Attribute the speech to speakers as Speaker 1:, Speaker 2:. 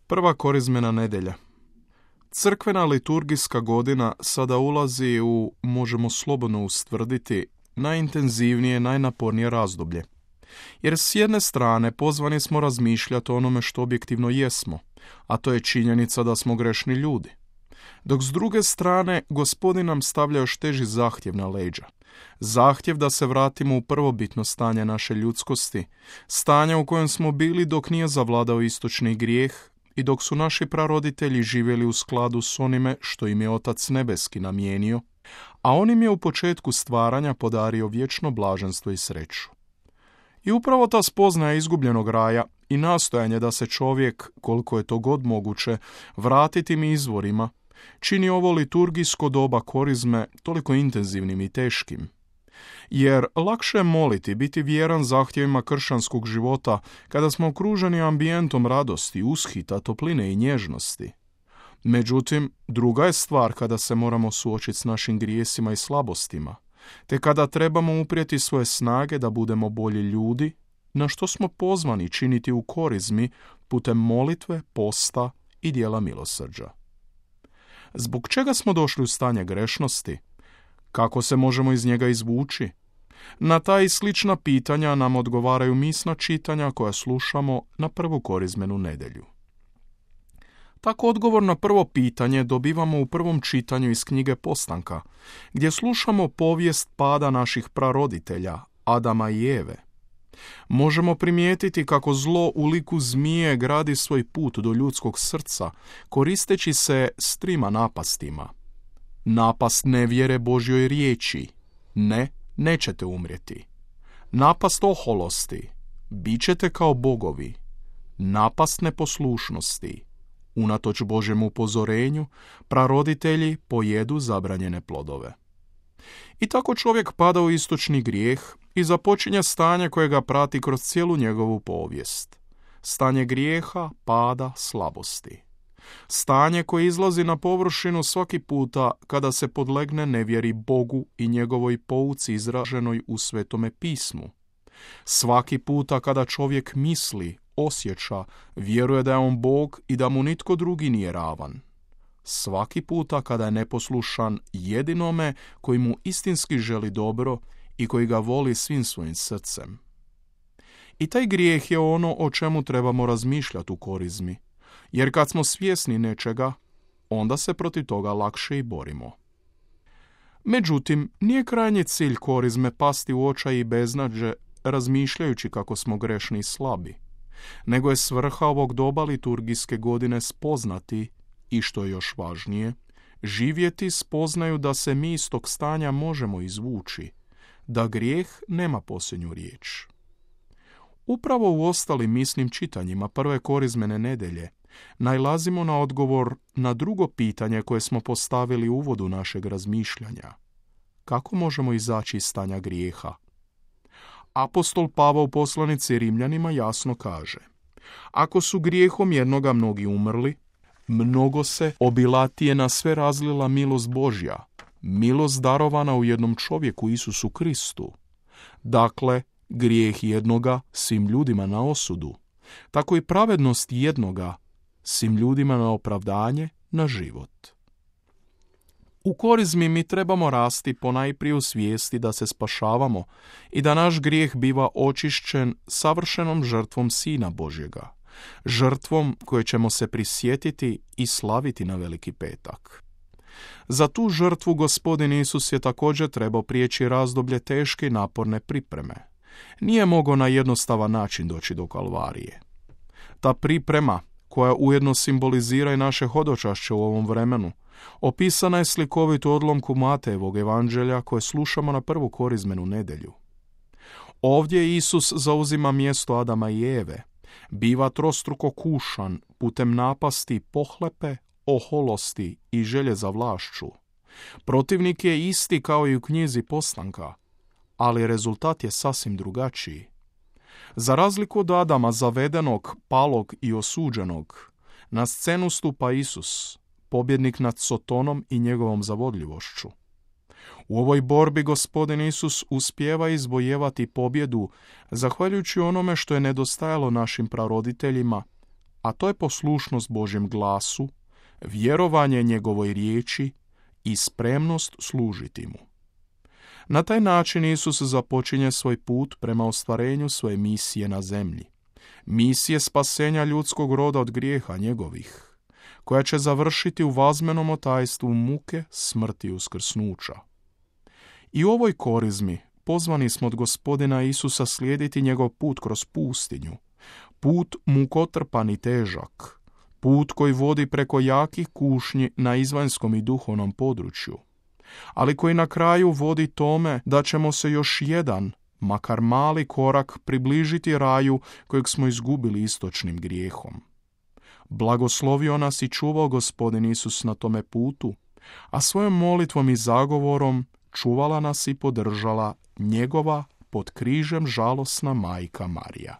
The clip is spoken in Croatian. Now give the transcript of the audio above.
Speaker 1: Prva korizmena nedjelja. Crkvena liturgijska godina sada ulazi u, možemo slobodno ustvrditi, najintenzivnije, najnapornije razdoblje. Jer s jedne strane pozvani smo razmišljati o onome što objektivno jesmo, a to je činjenica da smo grešni ljudi. Dok s druge strane Gospodin nam stavlja još teži zahtjev na leđa. Zahtjev da se vratimo u prvobitno stanje naše ljudskosti, stanje u kojem smo bili dok nije zavladao istočni grijeh i dok su naši praroditelji živjeli u skladu s onime što im je Otac Nebeski namijenio, a on im je u početku stvaranja podario vječno blaženstvo i sreću. I upravo ta spoznaja izgubljenog raja i nastojanje da se čovjek, koliko je to god moguće, vrati tim izvorima, čini ovo liturgijsko doba korizme toliko intenzivnim i teškim. Jer lakše je moliti, biti vjeran zahtjevima kršćanskog života kada smo okruženi ambijentom radosti, ushita, topline i nježnosti. Međutim, druga je stvar kada se moramo suočiti s našim grijesima i slabostima, te kada trebamo uprijeti svoje snage da budemo bolji ljudi, na što smo pozvani činiti u korizmi putem molitve, posta i dijela milosrđa. Zbog čega smo došli u stanje grešnosti? Kako se možemo iz njega izvući? Na ta i slična pitanja nam odgovaraju misna čitanja koja slušamo na prvu korizmenu nedjelju. Tako odgovor na prvo pitanje dobivamo u prvom čitanju iz knjige Postanka, gdje slušamo povijest pada naših praroditelja, Adama i Eve. Možemo primijetiti kako zlo u liku zmije gradi svoj put do ljudskog srca, koristeći se s trima napastima. Napast nevjere Božjoj riječi, ne, nećete umrijeti. Napast oholosti, bit ćete kao bogovi. Napast neposlušnosti, unatoč Božjem upozorenju, praroditelji pojedu zabranjene plodove. I tako čovjek pada u istočni grijeh i započinje stanje koje ga prati kroz cijelu njegovu povijest. Stanje grijeha, pada, slabosti. Stanje koje izlazi na površinu svaki puta kada se podlegne nevjeri Bogu i njegovoj pouci izraženoj u Svetome pismu. Svaki puta kada čovjek misli, osjeća, vjeruje da je on Bog i da mu nitko drugi nije ravan. Svaki puta kada je neposlušan jedinome koji mu istinski želi dobro i koji ga voli svim svojim srcem. I taj grijeh je ono o čemu trebamo razmišljati u korizmi, jer kad smo svjesni nečega, onda se protiv toga lakše i borimo. Međutim, nije krajnji cilj korizme pasti u očaj i beznađe razmišljajući kako smo grešni i slabi, nego je svrha ovog doba liturgijske godine spoznati i, što je još važnije, živjeti spoznaju da se mi iz tog stanja možemo izvući, da grijeh nema posljednju riječ. Upravo u ostalim misnim čitanjima prve korizmene nedjelje nailazimo na odgovor na drugo pitanje koje smo postavili u uvodu našeg razmišljanja. Kako možemo izaći iz stanja grijeha? Apostol Pavao u poslanici Rimljanima jasno kaže: ako su grijehom jednoga mnogi umrli, mnogo se obilatije na sve razlila milost Božja, milost darovana u jednom čovjeku Isusu Kristu. Dakle, grijeh jednoga svim ljudima na osudu, tako i pravednost jednoga svim ljudima na opravdanje, na život. U korizmi mi trebamo rasti ponajprije u svijesti da se spašavamo i da naš grijeh biva očišćen savršenom žrtvom Sina Božjega, žrtvom koje ćemo se prisjetiti i slaviti na Veliki petak. Za tu žrtvu Gospodin Isus je također trebao prijeći razdoblje teške i naporne pripreme. Nije mogao na jednostavan način doći do Kalvarije. Ta priprema, koja ujedno simbolizira i naše hodočašće u ovom vremenu, opisana je slikovito u odlomku Matejevog evanđelja koje slušamo na prvu korizmenu nedjelju. Ovdje Isus zauzima mjesto Adama i Eve, biva trostruko kušan putem napasti pohlepe, oholosti i želje za vlašću. Protivnik je isti kao i u knjizi Postanka, ali rezultat je sasvim drugačiji. Za razliku od Adama zavedenog, palog i osuđenog, na scenu stupa Isus, pobjednik nad Sotonom i njegovom zavodljivošću. U ovoj borbi Gospodin Isus uspijeva izvojevati pobjedu zahvaljujući onome što je nedostajalo našim praroditeljima, a to je poslušnost Božjem glasu, vjerovanje njegovoj riječi i spremnost služiti mu. Na taj način Isus započinje svoj put prema ostvarenju svoje misije na zemlji. Misije spasenja ljudskog roda od grijeha njegovih, koja će završiti u vazmenom otajstvu muke, smrti i uskrsnuća. I u ovoj korizmi pozvani smo od Gospodina Isusa slijediti njegov put kroz pustinju, put mukotrpan i težak, put koji vodi preko jakih kušnji na izvanjskom i duhovnom području, ali koji na kraju vodi tome da ćemo se još jedan, makar mali korak približiti raju kojeg smo izgubili istočnim grijehom. Blagoslovio nas i čuvao Gospodin Isus na tome putu, a svojom molitvom i zagovorom čuvala nas i podržala njegova pod križem žalosna majka Marija.